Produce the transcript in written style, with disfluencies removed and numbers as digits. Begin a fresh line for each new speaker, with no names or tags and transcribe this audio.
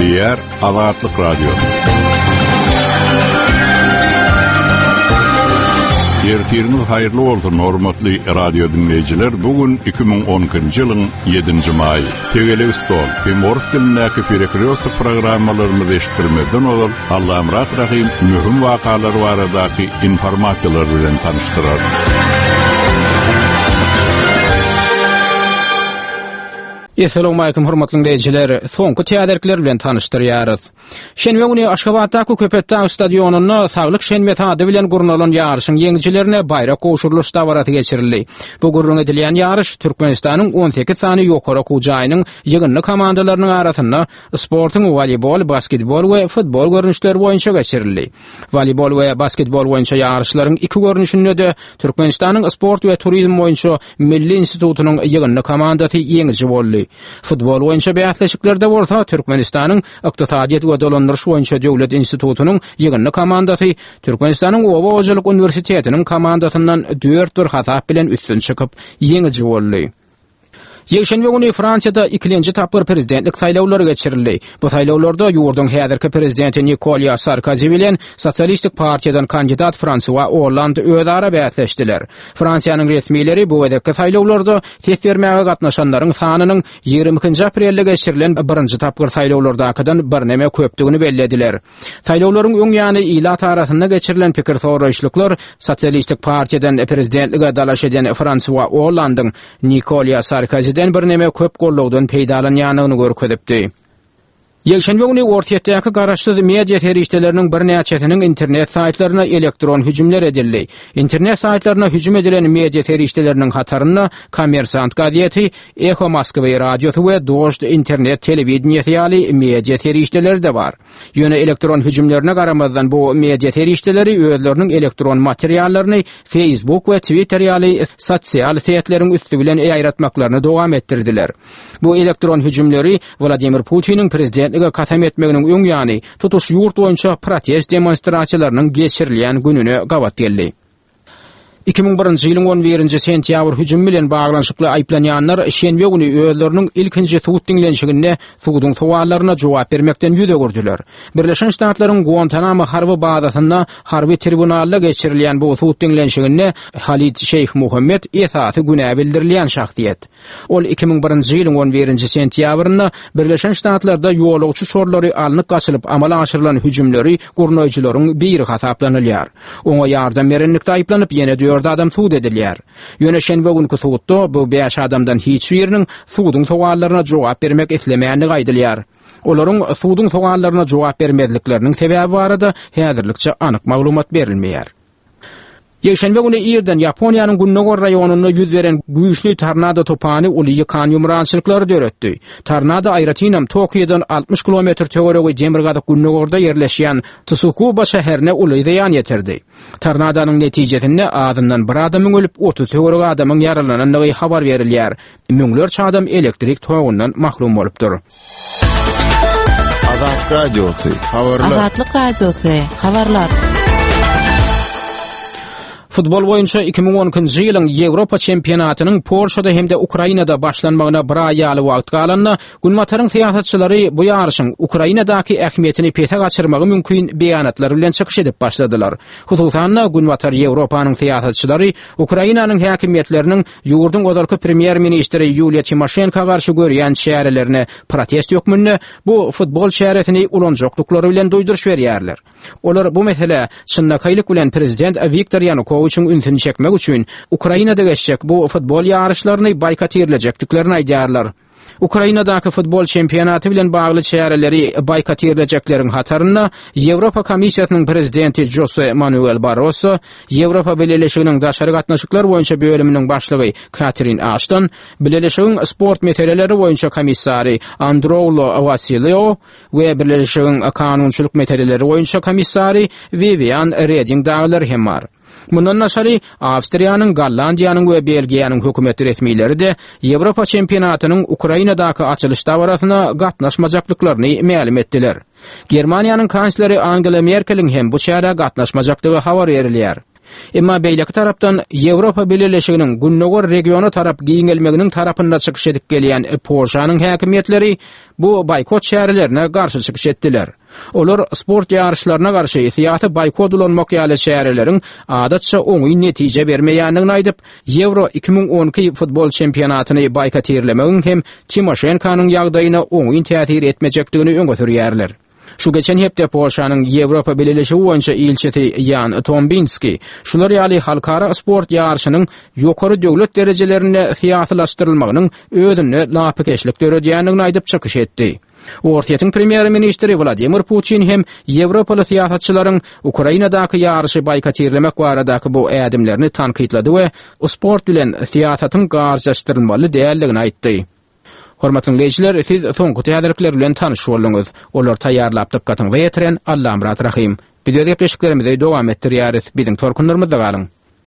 Gepleýär Azatlyk Radiosy. Ertiriňiz haýyrly bolsun, hormatly radio diňleýjiler. Bu gün 2012-nji ýylyň 7-nji maýy. Tegelek stol hem orus dilindäki Perekrýostok programmalarymyzy eşitdirmezden ozal Allamyrat Rahym möhüm wakalar baradaky informasiýalar bilen tanyşdyrar.
Essalawmalikim hormatly diňleýjiler! Soňky täzelikler bilen tanyşdyrýarys. Şenbe güni Aşgabatdaky Köpetdag stadionynda Saglyk şenbesi ady bilen gurnalan ýaryşyň ýeňijilerine baýrak gowşurylyş dabarasy geçirildi. Bu gürrüň edilýän ýaryş Türkmenistanyň 18 sany ýokary okuw jaýynyň ýygyndy komandalarynyň arasynda sportuň woleýbol, basketbol we futbol görnüşleri boýunça geçirildi. Woleýbol we basketbol boýunça ýaryşlaryň iki görnüşinde-de Türkmenistanyň Sport we turizm boýunça Milli institutynyň ýygyndy komandasy ýeňiji boldy. Futbol boýunça bäsleşiklerde bolsa Türkmenistanyň Ykdysadyýet we dolandyryş boýunça döwlet institutynyň ýygyndy komandasy Türkmenistanyň Oba hojalyk uniwersitetiniň komandasyndan dört-bir hasap bilen üstün çykyp, ýeňiji boldy. Ýekşenbe güni Fransiýada ikilenji tapgyr prezidentlik saýlawlary geçirildi. Bu saýlawlarda ýurduň häzirki prezidenti Nikolýa Sarkozi bilen Sosialistik partiýadan kandidat Fransua Olland özara bäsleşdiler. Fransiýanyň resmileri bu gezekki saýlawlarda ses bermäge gatnaşanlaryň sanynyň 22-nji aprelde geçirilen birinji tapgyr saýlawlardakydan birneme köpdügini bellediler. Saýlawlaryň öň ýany ilat arasynda geçirilen pikir soraýyşlyklar Sosialistik partiýadan prezidentlige dalaş eden Fransua Ollandyň Nikolýa Sarkoziden birneme köp gollawdan peýdalanýandygyny görkezipdi. Ýekşenbe güni Orsýetdäki garaşsyz media serişdeleriniň birnäçesiniň internet saýtlaryna elektron hüjümler edildi. Internet saýtlaryna hüjüm edilen media serişdeleriniň hatarynda Kommersant gazeti, Eho Moskwy radiosy we Dožd internet telewideniýesi ýaly media serişdeleri-de bar. Ýöne elektron hüjümlerine garamazdan bu media serişdeleri özleriniň elektron materiallaryny Facebook we Twitter ýaly sosial setleriň üsti bilen ýaýratmaklaryny dowam etdirdiler. Bu elektron hüjümleri Wladimir Putiniň prezidentlige kasam etmeginiň öň ýany tutuş ýurt boýunça protest demonstrasiýalarynyň geçirilýän gününe gabat geldi. 2001-nji ýylyň on birinji sentýabr hüjümi bilen baglanyşykly aýyplanýanlar şenbe güni özleriniň ilkinji sud diňlenişiginde suduň sowallaryna jogap bermekden ýüz öwürdiler. Birleşen Ştatlaryň Guantanamo harby bazasynda harby tribunalda geçirilýän bu sud diňlenişiginde Halid Şeýh Muhammed esasy günä bildirilýän şahsyýet. Ol 2001-nji ýylyň on birinji sentýabrynda Birleşen Ştatlarda ýolagçy uçarlary alnyp gaçylyp amala aşyrylan hüjümleri gurnaýjylaryň biri hasaplanylýar. Oňa ýardam berenlikde aýyplanyp, ýene dört adam sud edilýär. Ýöne şenbe günki sudda bu bäş adamdan hiç biriniň suduň sowallaryna jogap bermek islemändigi aýdylýar. Olaryň suduň sowallaryna jogap bermezlikleriniň sebäbi barada häzirlikçe anyk maglumat berilmeýär. Ýekşenbe güni irden Ýaponiýanyň gündogar raýonynda ýüz beren güýçli tornado tupany uly ýykan-ýumrançylyklary döretdi. Tornado aýratynam Tokiodan 60 kilometr töweregi demirgazyk-gündogarda ýerleşýän Tsukuba şäherine uly zyýan ýetirdi. Tornadonyň netijesinde azyndan bir adamyň ölüp, 30 töweregi adamyň ýaralanandygy habar berilýär. Müňlerçe adam elektrik togundan mahrum bolupdyr.
Azat Radiosy, habarlar.
Azatlyk Radiosy, habarlar.
Futbol boýunça 2012-nji ýylyň Ýewropa çempionatynyň Polşada hem-de Ukrainada başlanmagyna bir aý ýaly wagt galanda, Günbataryň syýasatçylary bu ýaryşyň Ukrainadaky ähmiýetini pese gaçyrmagy mümkin beýanatlar bilen çykyş edip başladylar. Hususan-da, Günbatar Ýewropanyň syýasatçylary Ukrainanyň häkimiýetleriniň ýurduň ozalky premýer-ministri Ýuliýa Timoşenko garşy görýän çärelerine protest hökmünde bu futbol çäresini ulanjakdyklary bilen duýduryş berýärler. Olar bu meselä çynlakaýlyk bilen prezident Wiktor Ýanukowiçiň ünsüni çekmek üçin Ukrainada geçjek bu futbol ýaryşlaryny boýkotirlejekdiklerini aýdýarlar. Ukrainadaky futbol çempionaty bilen bagly çäreleri boýkotirlejekleriň hatarynda Ýewropa Komissiýasynyň prezidenti Jose Manuel Barroso, Ýewropa Bileleşiginiň daşary gatnaşyklar boýunça bölüminiň başlygy Katrin Aşton, Bileleşigiň sport meseleleri boýunça komissary Androulo Wasilio we Bileleşigiň kanunçylyk meseleleri boýunça komissary Wiwian Reding dagylar hem bar. Mundan daşary, Awstriýanyň, Gollandiýanyň we Belgiýanyň hökümet resmileri-de Ýewropa çempionatynyň Ukrainadaky açylyş dabarasyna gatnaşmajakdyklaryny mälim etdiler. Germaniýanyň kansleri Angela Merkeliň hem bu çärä gatnaşmajakdygy habar berilýär. Emma beýleki tarapdan Ýewropa Bileleşiginiň gündogar regiona tarap giňelmeginiň tarapynda çykyş edip gelýän Polşanyň häkimiýetleri bu boýkot çärelerine garşy çykyş etdiler. Olar sport ýaryşlaryna garşy syýasy boýkot ulanmak ýaly çäreleriň adatça oňyn netije bermeýändigini aýdyp, Ýewro 2012 futbol çempionatyny boýkotirlemegiň hem Timoşenkonyň ýagdaýyna oňyn täsir etmejekdigini öňe sürýärler. Şu geçen hepde Polşanyň Ýewropa Bileleşigi boýunça ilçisi Ýan Tombinski şular ýaly halkara sport ýaryşynyň ýokary döwlet derejelerinde syýasylaşdyrylmagynyň özünde lapykeçlik döredýändigini aýdyp çykyş etdi. Orsýetiň premýer-ministri Wladimir Putin hem ýewropaly syýasatçylaryň Ukrainadaky ýaryşy boýkotirlemek baradaky bu ädimlerini tankytlady we sport bilen syýasatyň garjaşdyrylmaly däldigini aýtdy. Hormatly diňleýjiler, siz soňky täzelikler bilen tanyş bolduňyz. Olary taýýarlap dykgatyňyza ýetiren Allamyrat Rahym. Biz öz gepleşiklerimizi dowam etdirýäris. Biziň tolkunlarymyzda galyň!